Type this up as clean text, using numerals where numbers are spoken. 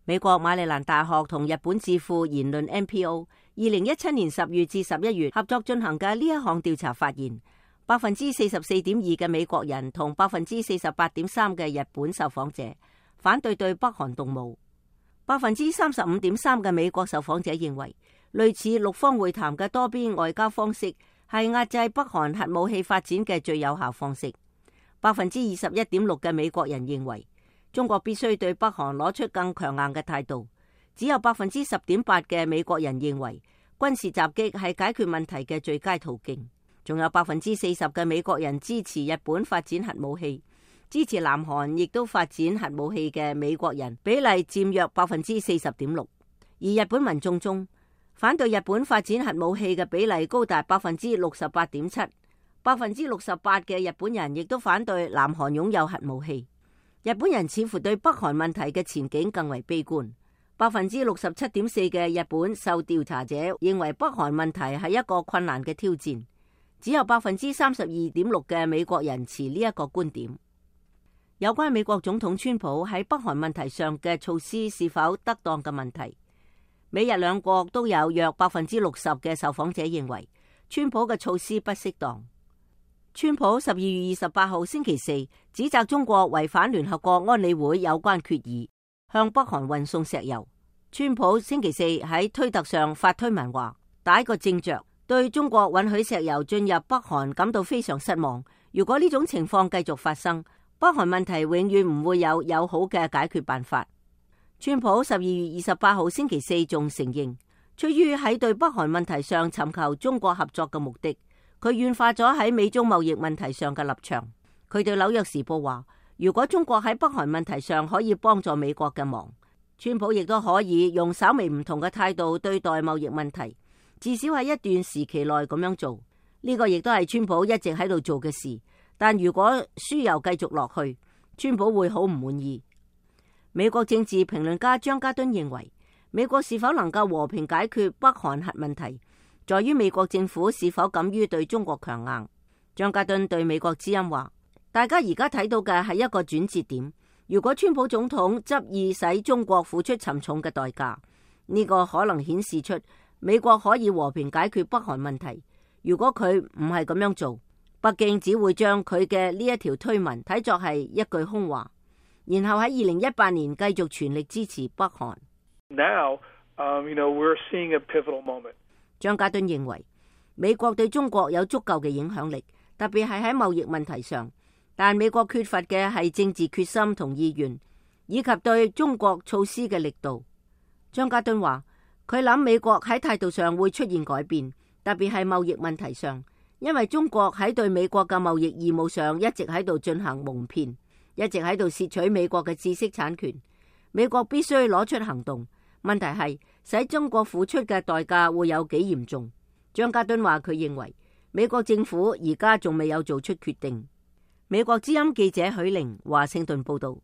美國馬里蘭大學同日本智庫言論 NPO 2017年10月至11月合作進行嘅呢一項調查發現，44.2% 嘅美國人同48.3% 嘅日本受訪者反對對北韓動武。35.3% 嘅美國受訪者認為，類似六方會談嘅多邊外交方式係壓制北韓核武器發展嘅最有效方式。21.6% 嘅美國人認為，中國必須對北韓攞出更強硬嘅態度。只有10.8% 嘅美國人認為軍事襲擊係解決問題嘅最佳途徑。仲有40% 嘅美國人支持日本發展核武器，支持南韓亦都發展核武器嘅美國人比例佔約 40.6%。而日本民眾中反對日本發展核武器嘅比例高達 68.7%。68% 嘅日本人亦都反對南韓擁有核武器。日本人似乎對北韓問題嘅前景更為悲觀。 67.4% 嘅日本受調查者認為北韓問題係一個困難嘅挑戰，只有 32.6% 嘅美國人持呢一個觀點。有關美國總統川普喺北韓問題上嘅措施是否得當嘅問題，美日兩國都有約 60% 嘅受訪者認為川普嘅措施不適當。川普12月28號星期四指責中國違反聯合國安理會有關決議，向北韓運送石油。川普星期四喺推特上發推文話，打一個正着，對中國允許石油進入北韓感到非常失望。如果呢種情況繼續發生，北韓問題永遠唔會有友好嘅解決辦法。川普12月28號星期四仲承認，出於喺對北韓問題上尋求中國合作嘅目的，佢軟化咗喺美中貿易問題上嘅立場。佢對紐約時報話，如果中國喺北韓問題上可以幫助美國嘅忙，川普亦都可以用稍微唔同嘅態度對待貿易問題，至少喺一段時期內咁樣做。呢個亦都係川普一直喺度做嘅事。但如果輸油繼續落去，川普會好唔滿意。美國政治評論家張家敦認為，美國是否能夠和平解決北韓核問題，在於美國政府是否敢於對中國強硬。張家敦對美國之音話，大家而家睇到嘅係一個轉折點。如果川普總統執意使中國付出沉重嘅代價，呢個可能顯示出美國可以和平解決北韓問題。如果佢唔係咁樣做，北京只會將佢嘅呢一條推文睇作係一句空話，然後喺2018年繼續全力支持北韓。Now, we're seeing a pivotal moment. 張家敦認為，美國對中國有足夠嘅影響力，特別係喺貿易問題上，但美國缺乏嘅係政治決心同意願，以及對中國措施嘅力度。張家敦話，佢諗美國喺態度上會出現改變，特別係貿易問題上。因為中國喺對美國嘅貿易義務上一直喺度進行蒙騙，一直喺度竊取美國嘅知識產權，美國必須攞出行動。問題係使中國付出嘅代價會有幾嚴重。張家敦話佢認為美國政府而家仲未有做出決定。美國之音記者許玲華盛頓報道。